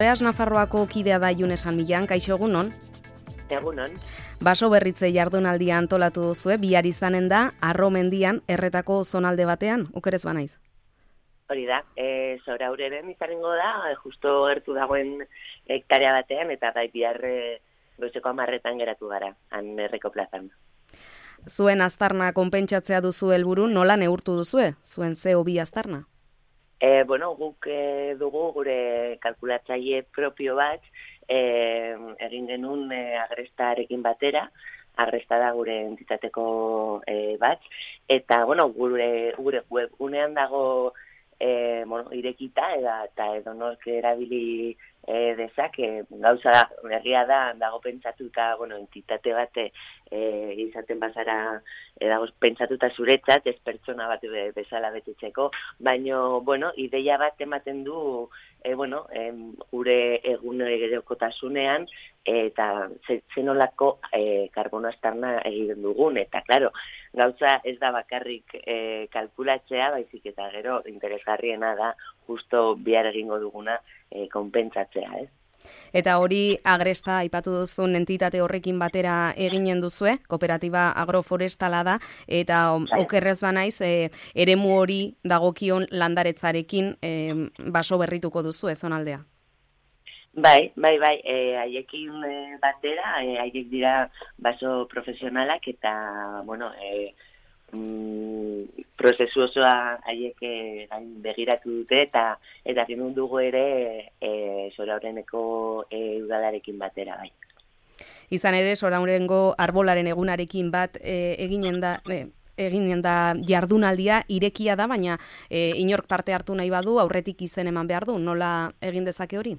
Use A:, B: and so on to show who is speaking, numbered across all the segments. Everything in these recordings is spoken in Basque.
A: Beraz, Nafarroako kidea da June San Millan, kaixo egunon?
B: Egunon.
A: Baso berritze jardunaldia antolatu duzue, bihar izanen da, Arro mendian, erretako zonalde batean, okerez banaiz?
B: Hori da, Zoraureren izanengo da, justo gertu dagoen hektarea batean, eta bai bihar goizeko 10 geratu gara, han erreko plazan.
A: Zuen aztarna konpentsatzea duzu helburu, nola neurtu duzue, zuen CO2 aztarna?
B: Guk dugu gure kalkulatzaile propio bat, egin genuen agrestarekin batera, agresta da gure entitateko bat, eta gure webgunean dago irekita eta edonork erabili dezake, gauza berria da, dago pentsatuta, entitate bat izaten bazara dago pentsatuta zuretzat, ez pertsona bat bezala betetzeko, baina, ideia bat ematen du, gure egunerokotasunean eta zenolako karbono aztarna egiten dugun, eta, klaro, gauza ez da bakarrik kalkulatzea, baizik eta gero interesgarriena da justo bihar egingo duguna konpentsatzea, ez?
A: Eta hori agresta aipatu duzun entitate horrekin batera eginen duzue, kooperatiba agroforestala da, eta okerrez banaiz, eremu hori dagokion landaretzarekin baso berrituko duzu zonaldea.
B: Bai, haiekin batera, haiek dira baso profesionalak eta, prozesu osoa haiek begiratu dute eta genuen dugu ere Zoraureneko udalarekin batera, bai.
A: Izan ere, Zoraurengo arbolaren egunarekin bat eginen da jardunaldia, irekia da, baina inork parte hartu nahi badu, aurretik izen eman behar du, nola egin dezake hori?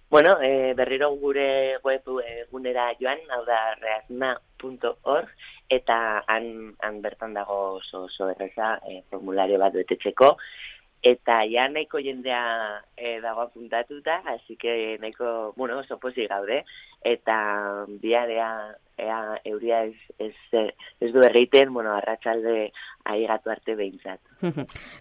B: Berriro gure webgunera joan, hau da reasna.org, eta han bertan dago oso erreza formulario bat betetzeko, eta ja nahiko jendea dago apuntatuta, así que nahiko, oso pozik gaude, eta bihar euria ez du egiten, arratsalde aigatu arte behintzat.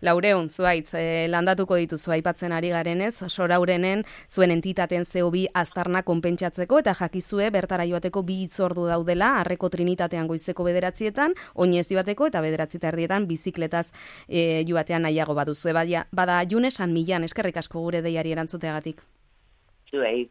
A: Laureun, zuaitz, landatuko dituzu aipatzen ari garenez, Soraurenen zuen entitaten CO2 aztarna konpentsatzeko, eta jakizue bertara joateko 2 hitzordu daudela, Arreko Trinitatean goizeko 9:00, oinez joateko eta 9:30 bizikletaz joatean nahiago baduzue. Bada June San Millan, eskerrik asko gure deiari erantzuteagatik.
B: Zuei.